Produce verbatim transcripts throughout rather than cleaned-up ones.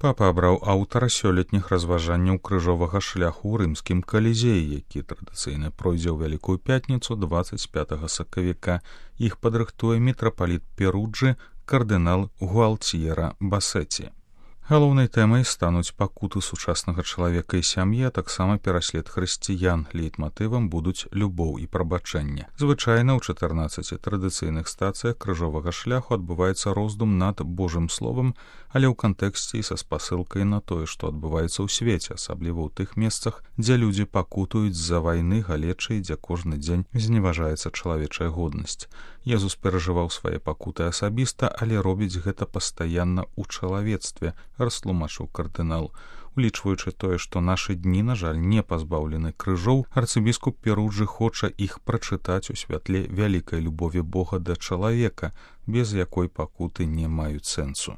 Папа абраў аўтара сёлетніх разважанняў крыжовага шляху ў рымскім калізеі, які традыцыйна пройдзе ў Вялікую пятніцу дваццаць пятага сакавіка. Іх падрыхтуе мітрапаліт Перуджы кардынал Гуалтьера Басеці. Галоўнай тэмай стануць пакуты сучаснага чалавека і сям'і, а таксама пераслед хрысціян. Лейтматывам будуць любоў і прабачэнне. Звычайна ў чатырнаццаці традыцыйных стацыях крыжовага шляху адбываецца роздум над Божым словам, але ў кантэксце і са спасылкай на тое, што адбываецца ў свеце, асабліва ў тых месцах, дзе людзі пакутуюць з-за вайны, галечы, дзе кожны дзень зневажаецца чалавечая годнасць. Езус перажываў свае пакуты асабіста, але робіць гэта пастаянна ў чалавецтве, растлумачыў кардынал. Улічваючы тое, што нашы дні, на жаль, не пазбаўлены крыжоў, арцыбіскуп Перуджы хоча іх прачытаць у святле вялікай любові Бога да чалавека, без якой пакуты не маюць сэнсу.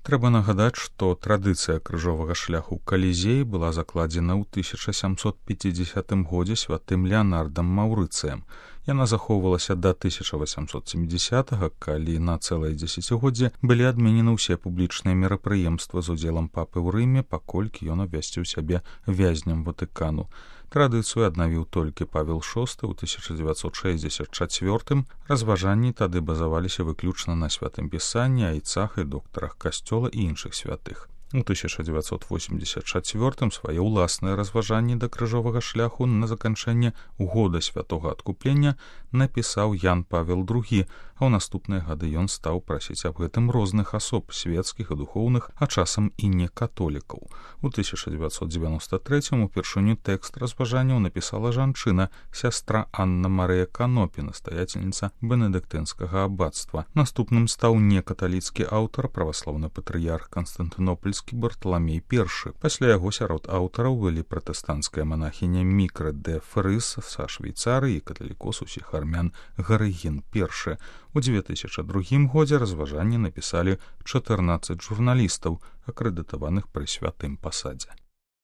Трэба нагадаць, што традыцыя крыжовага шляху ў Калізеі была закладзена ў тысяча сямсот пяцідзесятым годзе святым Леанардам Маўрыцыем. Яна захоўвалася да тысяча васямсот сямідзесятага, калі на цэлае дзесяцігоддзе былі адменены ўсе публічныя мерапрыемствы з удзелам папы ў Рыме, паколькі ён абвясціў сябе вязням Ватыкану. Традыцыю аднавіў толькі Павел шосты ў тысяча дзевяцьсот шэсцьдзесят чацвёртым. Разважанні тады базаваліся выключна на святым пісанні, айцах і доктарах касцёла і іншых святых. У тысяча дзевяцьсот восемьдесят чацвёртым свае ўласныя разважанні да крыжовага шляху на заканчэнне года святога адкуплення напісаў Ян Павел другі, а ў наступныя гады ён стаў прасіць аб гэтым розных асоб, свецкіх і духоўных, а часам і не католікаў. У тысяча дзевяцьсот дзевяноста трэцім упершыню тэкст разважанняў напісала жанчына, сястра Анна Марыя Канопі, настаяцельніца бенедыктынскага аббацтва. Наступным стаў некаталіцкі аўтар, праваслаўны патрыярх Канстантынопольскі Барталамей першы. Пасля яго сярод аўтараў былі пратэстанцкая манахіня Мікрэ дэ Фрыс са Швейцарыі і каталікос усіх армян Гарыгін першы. У дзве тысячы другім годзе разважанні напісалі чатырнаццаць журналістаў, акрэдытаваных пры святым пасадзе.